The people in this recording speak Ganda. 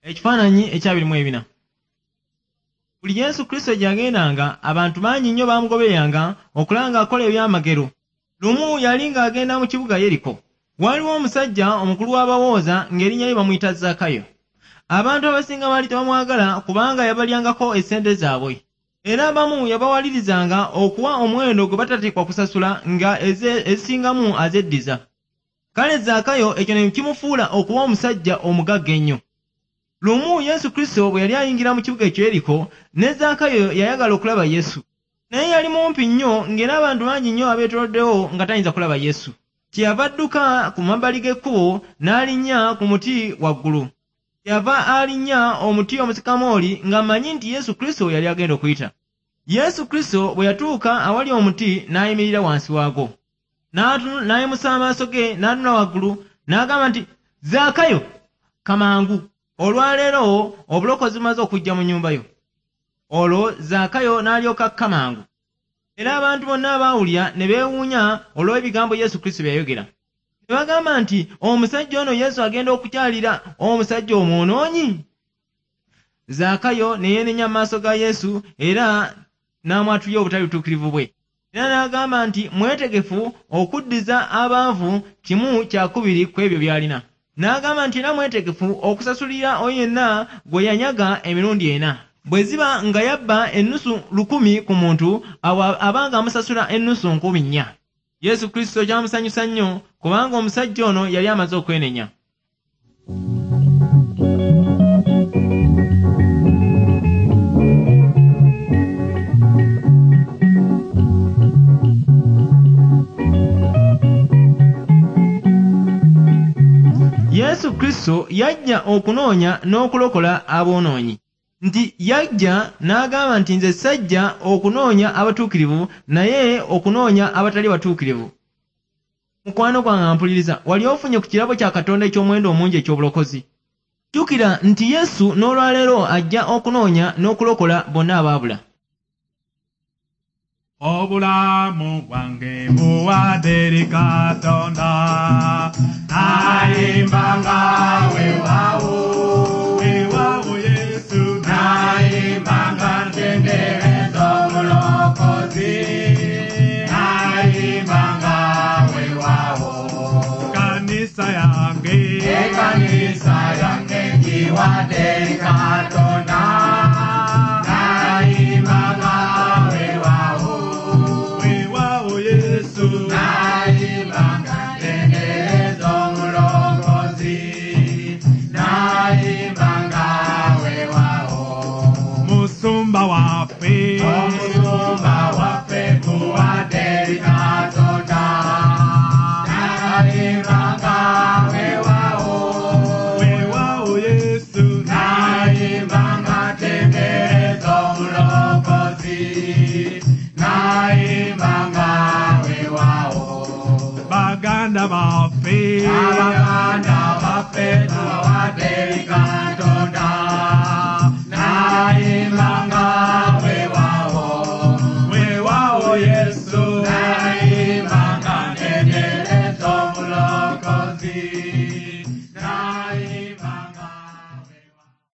Ekifaananyi ekya 24. Buli Yesu Kristo gye yagendanga, abantu bangi nnyo baamugobereranga okulaba ng'akola ebyamagero. Lumu yali ng'agenda mu kibuga Yeriko. Waaliwo omusajja omukulu w'abawooza ng'erinnya lye bamuyita Zaakayo. Abantu abasinga baali tebamwagala kubanga yabalyangako essente zaabwe. Era abamu yabawalirizanga okuwa omuwendo gwe batateekwa kusasula nga ezisingamu azeddiza. Kale Zaakayo ekyo ne kimufuula okuba omusajja omugagga ennyo. Lumu Yesu Kristo bwe yali ayingira mu kibuga ekyo Yeriko, ne Zaakayo yayagala okulaba Yesu. Naye yali mumpi nnyo ng'era abantu bangi nnyo abeetooloddewo nga tayinza kulaba Yesu. Kyeyava adduka ku mabbali g'ekkubo n'alinnya ku muti waggulu. Kyeyava alinnya omuti omusikamooli ng'amanyi nti Yesu Kristo yali agenda okuyita. Yesu Kristo bwe yatuuka awali omuti n'ayimirira wansi waagwo. N'ayimusa amaaso ge n'atunula waggulu n'agamba nti, Zaakayo, kamangu! Olwaleero obulokozi bumaze okujja mu nnyumba yo. Olwo Zaakayo n'alyoka akka mangu. Era abantu bonna abaawulira ne beewuunya olw'ebigambo Yesu Kristo bye yayogera. Ne bagamba nti, omusajja ono Yesu agenda okukyalira omusajja omwonoonyi? Zaakayo ne yeenenya mu maaso ga Yesu era n'amwatulira obutali butuukirivu bwe. Era n'agamba nti mwetegefu okuddiza abaavu 1/2 ku ebyo by'alina. N'agamba nti era mwetegefu okusasulira oyo yenna gwe yanyaga emirundi 4. Bwe ziba nga yabba ennusu 1,000 ku muntu, awo abanga amusasula ennusu 4,000. Yesu Kristo kyamusanyusa nnyo kubanga omusajja ono yali amaze okwenenya. Yesu Kristo yajja okunoonya n'okulokola aboonoonyi. Nti yajja n'agamba nti nze sajja okunoonya abatuukirivu naye okunoonya abatali batuukirivu. Mukwano gwange mpuliriza, wali ofunye ku kirabo kya Katonda eky'omuwendo omungi eky'obulokozi? Jjukira nti Yesu n'olwaleero ajja okunoonya n'okulokola bonna abaabula. Obulamu bwange buwadde eri Katonda. Nayimbanga weewaawo, weewaawo Yesu. Nayimbanga ntendereza omulokozi. Nayimbanga weewaawo. Kanisa yange, Ekanisa yange ngiwadde eri Katonda. Nayimbanga weewaawo, weewaawo Yesu. Nayimbanga ntendereza omulokozi. Nayimbanga weewaawo. Musumba waffe, Omusumba waffe tuwadde eri Katonda. Nayimbanga weewaawo, weewaawo Yesu. Nayimbanga ntendereza omulokozi. Nayimbanga weewaawo. Baganda baffe, Abaganda baffe tubawadde eri Katonda.